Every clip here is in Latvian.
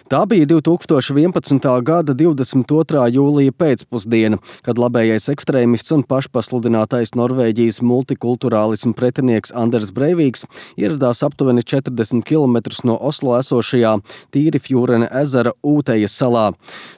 Tā bija 2011. gada 22. jūlija pēcpusdiena, kad labējais ekstrēmists un pašpasludinātais Norvēģijas multikulturālisma pretinieks Anders Breiviks ieradās aptuveni 40 km no Oslo esošajā Tīrifjūrene ezera Ūtejas salā.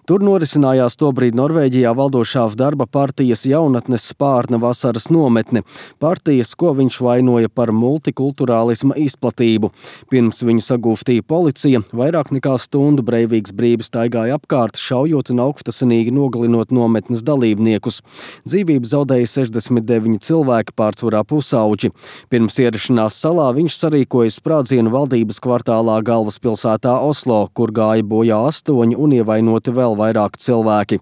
Tur norisinājās tobrīd Norvēģijā valdošā darba partijas Jaunatnes Spārna vasaras nometne, partijas, ko viņš vainoja par multikulturālisma izplatību. Pirms viņu sagūstīja policija, vairāk nekā stundu Breiviks brīvi staigāja apkārt, šaujot un augstasinīgi nogalinot nometnes dalībniekus. Dzīvību zaudēja 69 cilvēki, pārsvarā pusauģi. Pirms ierašanās salā viņš sarīkoja sprādzienu valdības kvartālā galvaspilsētā Oslo, kur gāja bojā 8 un ievainoti vēl vairāk cilvēki.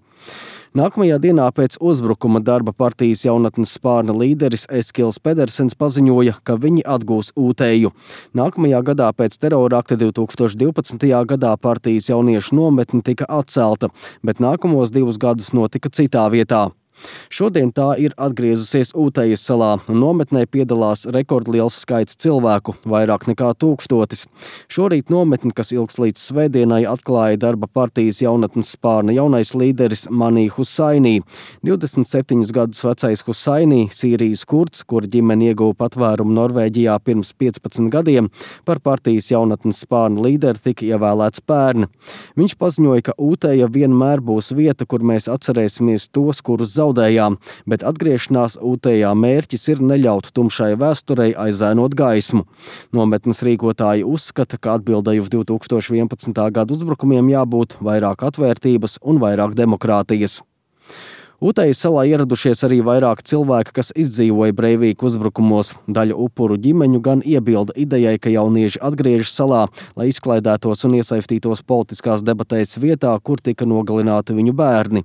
Nākamajā dienā pēc uzbrukuma darba partijas Jaunatnes Spārna līderis Eskils Pedersens paziņoja, ka viņi atgūs Ūteju. Nākamajā gadā pēc terorakta 2012. gadā partijas jauniešu nometne tika atcelta, bet nākamos 2 gadus notika citā vietā. Šodien tā ir atgriezusies Ūtejas salā, un nometnē piedalās rekordliels skaits cilvēku, vairāk nekā 1000. Šorīt nometni, kas ilgs līdz svētdienai, atklāja darba partijas Jaunatnes Spārna jaunais līderis Mani Husainī. 27 gadus vecais Husainī, Sīrijas kurds, kur ģimene ieguva patvērumu Norvēģijā pirms 15 gadiem, par partijas Jaunatnes Spārna līderi tika ievēlēts pērn. Viņš paziņoja, ka Ūteja vienmēr būs vieta, kur mēs atcerēsimies tos, kurus zaudējām, bet atgriešanās Ūtejā mērķis ir neļaut tumšai vēsturei aizēnot gaismu. Nometnes rīkotāji uzskata, ka atbildēji uz 2011. gada uzbrukumiem jābūt vairāk atvērtības un vairāk demokrātijas. Ūtejas salā ieradušies arī vairāk cilvēki, kas izdzīvoja Breivika uzbrukumos. Daļa upuru ģimeņu gan iebilda idejai, ka jaunieši atgriežas salā, lai izklaidētos un iesaistītos politiskās debatēs vietā, kur tika nogalināti viņu bērni.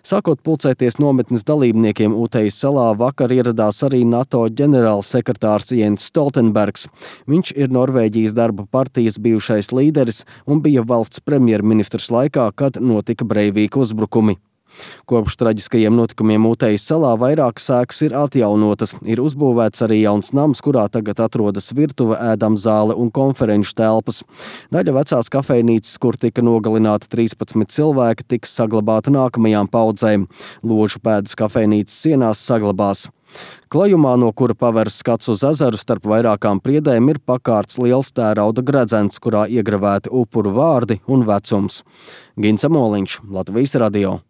Sākot pulcēties nometnes dalībniekiem Ūtejas salā, vakar ieradās arī NATO ģenerālsekretārs Jens Stoltenbergs. Viņš ir Norvēģijas darba partijas bijušais līderis un bija valsts premjerministrs laikā, kad notika Breivika uzbrukumi. Kopš traģiskajiem notikumiem Ūtejas salā vairākas ēkas ir atjaunotas. Ir uzbūvēts arī jauns nams, kurā tagad atrodas virtuve, ēdamzāle un konferenču telpas. Daļa vecās kafejnīcas, kur tika nogalināti 13 cilvēki, tiks saglabāta nākamajām paudzēm. Ložu pēdas kafejnīcas sienās saglabās. Klajumā, no kura paveras skats uz ezeru starp vairākām priedēm, ir pakārts liels tērauda gredzens, kurā iegravēti upuru vārdi un vecums. Gints Amoliņš, Latvijas radio.